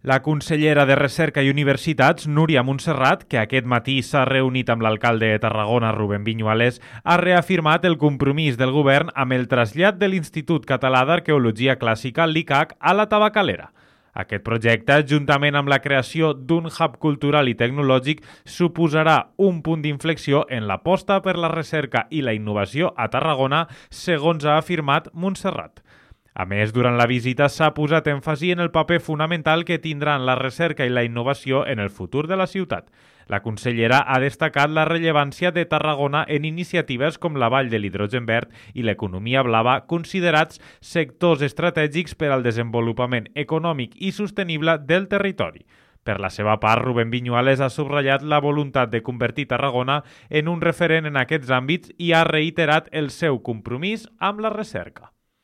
La consellera de Recerca i Universitats, Núria Montserrat, que aquest matí s'ha reunit amb l'alcalde de Tarragona, Rubén Viñuales, ha reafirmat el compromís del govern amb el trasllat de l'Institut Català d'Arqueologia Clàssica, l'ICAC, a la Tabacalera. Aquest projecte, juntament amb la creació d'un hub cultural i tecnològic, suposarà un punt d'inflexió en l'aposta per la recerca i la innovació a Tarragona, segons ha afirmat Montserrat. A més, durant la visita s'ha posat èmfasi en el paper fonamental que tindran la recerca i la innovació en el futur de la ciutat. La consellera ha destacat la rellevància de Tarragona en iniciatives com la Vall de l'Hidrogen Verd i l'economia blava, considerats sectors estratègics per al desenvolupament econòmic i sostenible del territori. Per la seva part, Rubén Viñuales ha subratllat la voluntat de convertir Tarragona en un referent en aquests àmbits i ha reiterat el seu compromís amb la recerca.